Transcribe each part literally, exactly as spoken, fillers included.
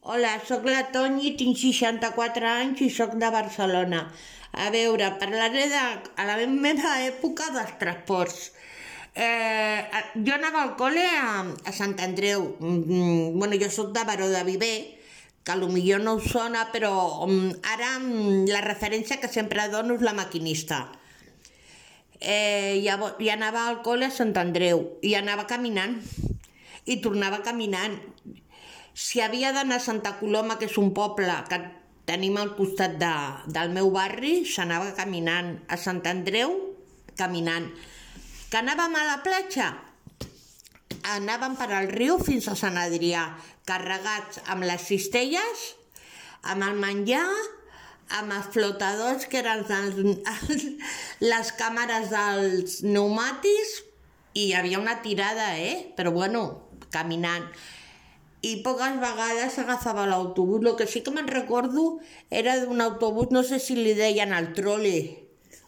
Hola, sóc la Toni, tinc seixanta-quatre anys i sóc de Barcelona. A veure, parlaré de a la meva època dels transports. Eh, jo anava al col·le a, a Sant Andreu. Mm, bueno, jo sóc de Baró de Viver, que potser no us sona, però um, ara um, la referència que sempre dono és la maquinista. Eh, llavors, i anava al col·le a Sant Andreu, i anava caminant, i tornava caminant. Si havia d'anar a Santa Coloma, que és un poble que tenim al costat de, del meu barri, s'anava caminant. A Sant Andreu, caminant. Que anàvem a la platja? Anàvem per al riu fins a Sant Adrià, carregats amb les cistelles, amb el menjar, amb els flotadors, que eren els, els, les càmeres dels pneumàtics, i hi havia una tirada, eh? Però bueno, caminant. I poques vegades agafava l'autobús. El que sí que me'n recordo era d'un autobús, no sé si li deien el trole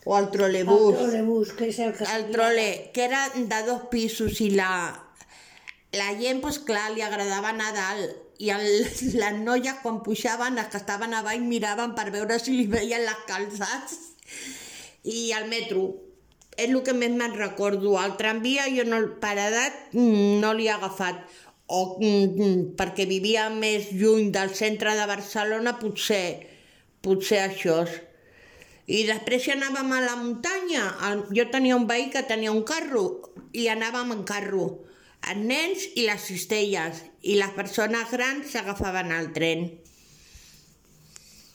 o el trolebús. El trolebús, que és el que... El trole, que era de dos pisos, i la, la gent, doncs clar, li agradava anar a dalt. I el, les noies, quan pujaven, les que estaven a baix, miraven per veure si li veien les calçats. I el metro, és el que més me'n recordo. El tramvia, jo no, per edat no l'he agafat. O mm, perquè vivia més lluny del centre de Barcelona, potser, potser això. I després si anàvem a la muntanya, el, jo tenia un veí que tenia un carro, i anàvem en carro, els nens i les cistelles, i les persones grans s'agafaven al tren.